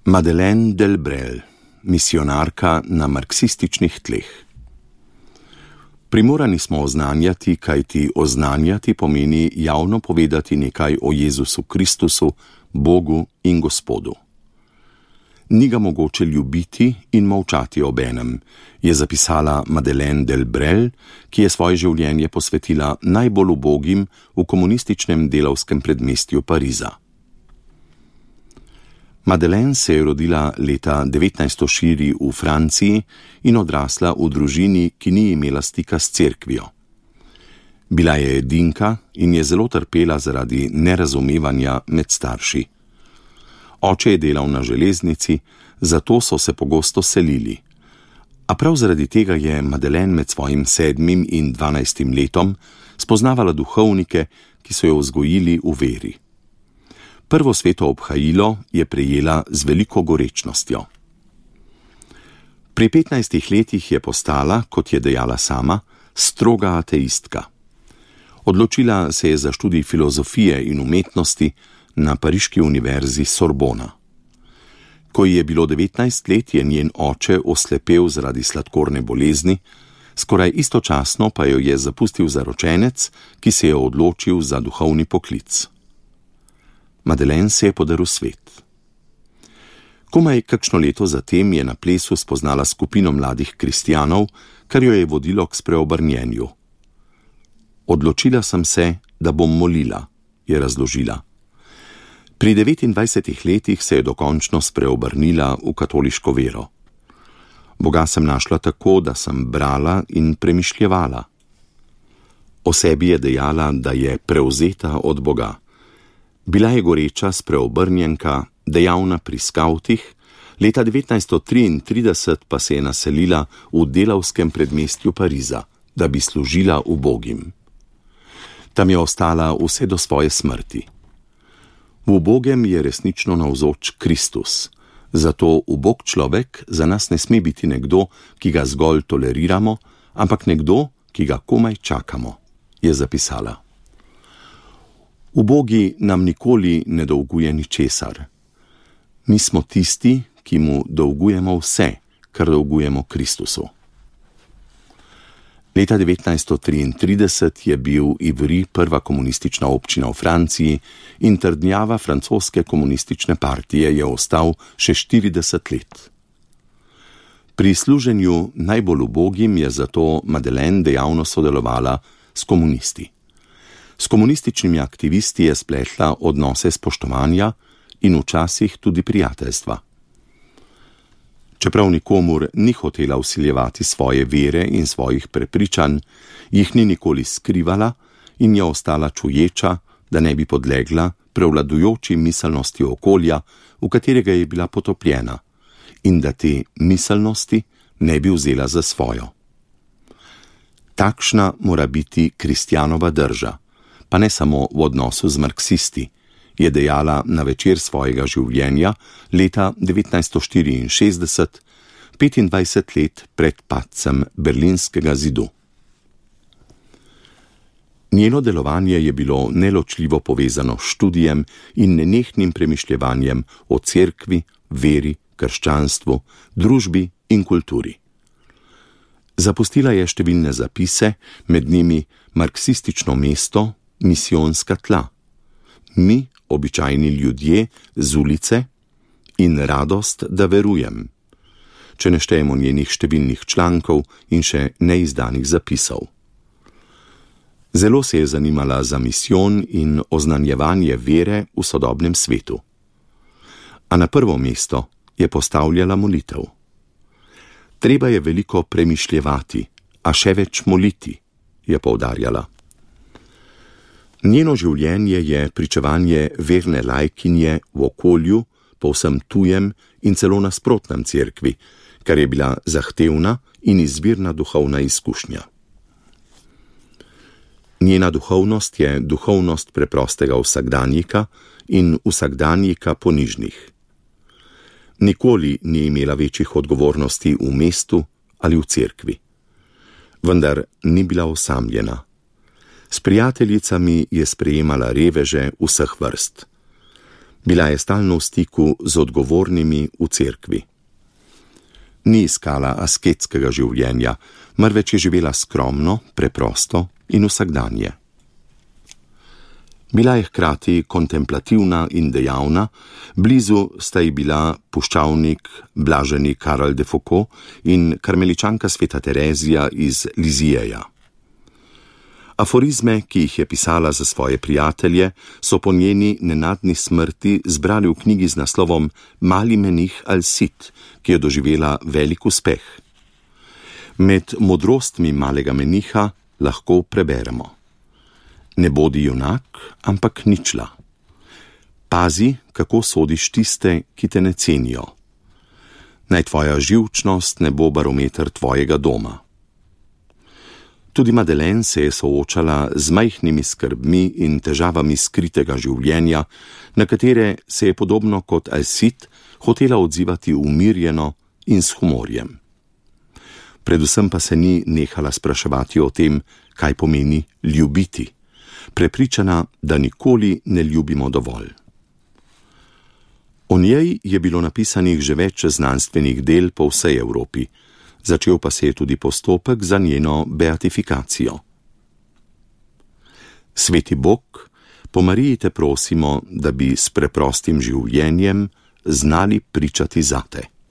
Madeleine Delbrel, misionarka na marksističnih tleh. Primorani smo oznanjati, kajti oznanjati pomeni javno povedati nekaj o Jezusu Kristusu, Bogu in Gospodu. Ni ga mogoče ljubiti in molčati obenem, je zapisala Madeleine Delbrel, ki je svoje življenje posvetila najbolj ubogim v komunističnem delavskem predmestju Pariza. Madeleine se je rodila leta 1904 v Franciji in odrasla v družini, ki ni imela stika s cerkvijo. Bila je edinka in je zelo trpela zaradi nerazumevanja med starši. Oče je delal na železnici, zato so se pogosto selili. A prav zaradi tega je Madeleine med svojim 7. in 12. letom spoznavala duhovnike, ki so jo vzgojili v veri. Prvo sveto obhajilo je prejela z veliko gorečnostjo. Pri 15 letih je postala, kot je dejala sama, stroga ateistka. Odločila se je za študij filozofije in umetnosti na pariški univerzi Sorbona. Ko ji je bilo 19 let, je njen oče oslepel zaradi sladkorne bolezni, skoraj istočasno pa jo je zapustil zaročenec, ki se je odločil za duhovni poklic. Madeleine se je podaril svet. Komaj kakšno leto zatem je na plesu spoznala skupino mladih kristjanov, kar jo je vodilo k spreobrnjenju. Odločila sem se, da bom molila, je razložila. Pri 29 letih se je dokončno spreobrnila v katoliško vero. Boga sem našla tako, da sem brala in premišljevala. O sebi je dejala, da je prevzeta od Boga. Bila je goreča spreobrnjenka, dejavna pri skavtih, leta 1933 pa se je naselila v delavskem predmestju Pariza, da bi služila ubogim. Tam je ostala vse do svoje smrti. V ubogem je resnično navzoč Kristus, zato ubog človek za nas ne sme biti nekdo, ki ga zgolj toleriramo, ampak nekdo, ki ga komaj čakamo, je zapisala. Ubogi nam nikoli ne dolguje ničesar. Mi smo tisti, ki mu dolgujemo vse, kar dolgujemo Kristusu. Leta 1933 je bil Ivry prva komunistična občina v Franciji in trdnjava francoske komunistične partije je ostal še 40 let. Pri služenju najbolj ubogim je zato Madeleine dejavno sodelovala s komunisti. S komunističnimi aktivisti je spletla odnose spoštovanja in včasih tudi prijateljstva. Čeprav nikomur ni hotela vsiljevati svoje vere in svojih prepričanj, jih ni nikoli skrivala in je ostala čuječa, da ne bi podlegla prevladujoči miselnosti okolja, v katerega je bila potopljena, in da te miselnosti ne bi vzela za svojo. Takšna mora biti kristjanova drža, pa ne samo v odnosu z marksisti, je dejala na večer svojega življenja leta 1964, 25 let pred padcem Berlinskega zidu. Njeno delovanje je bilo neločljivo povezano s študijem in nenehnim premišljevanjem o cerkvi, veri, krščanstvu, družbi in kulturi. Zapustila je številne zapise, med njimi marksistično mesto, misijonska tla, mi, običajni ljudje z ulice in radost, da verujem, če ne štejemo njenih številnih člankov in še neizdanih zapisov. Zelo se je zanimala za misijon in oznanjevanje vere v sodobnem svetu. A na prvo mesto je postavljala molitev. Treba je veliko premišljevati, a še več moliti, je poudarjala. Njeno življenje je pričevanje verne lajkinje v okolju, povsem tujem in celo nasprotnem cerkvi, kar je bila zahtevna in izvirna duhovna izkušnja. Njena duhovnost je duhovnost preprostega vsakdanjika in vsakdanjika ponižnih. Nikoli ni imela večjih odgovornosti v mestu ali v cerkvi. Vendar ni bila osamljena. S prijateljicami je sprejemala reveže vseh vrst. Bila je stalno v stiku z odgovornimi v cerkvi. Ni iskala asketskega življenja, marveč je živela skromno, preprosto in vsakdanje. Bila je hkrati kontemplativna in dejavna, blizu sta ji bila puščavnik blaženi Karel de Foucault in karmeličanka sveta Terezija iz Lizijeja. Aforizme, ki jih je pisala za svoje prijatelje, so po njeni nenadni smrti zbrali v knjigi z naslovom Mali menih Al-Sid, ki je doživela velik uspeh. Med modrostmi malega meniha lahko preberemo: ne bodi junak, ampak ničla. Pazi, kako sodiš tiste, ki te ne cenijo. Naj tvoja živčnost ne bo barometer tvojega doma. Tudi Madeleine se je soočala z majhnimi skrbmi in težavami skritega življenja, na katere se je podobno kot Al-Sid hotela odzivati umirjeno in s humorjem. Predvsem pa se ni nehala spraševati o tem, kaj pomeni ljubiti, prepričana, da nikoli ne ljubimo dovolj. O njej je bilo napisanih že več znanstvenih del po vsej Evropi, začel pa se je tudi postopek za njeno beatifikacijo. Sveti Bog, po Mariji te prosimo, da bi s preprostim življenjem znali pričati zate.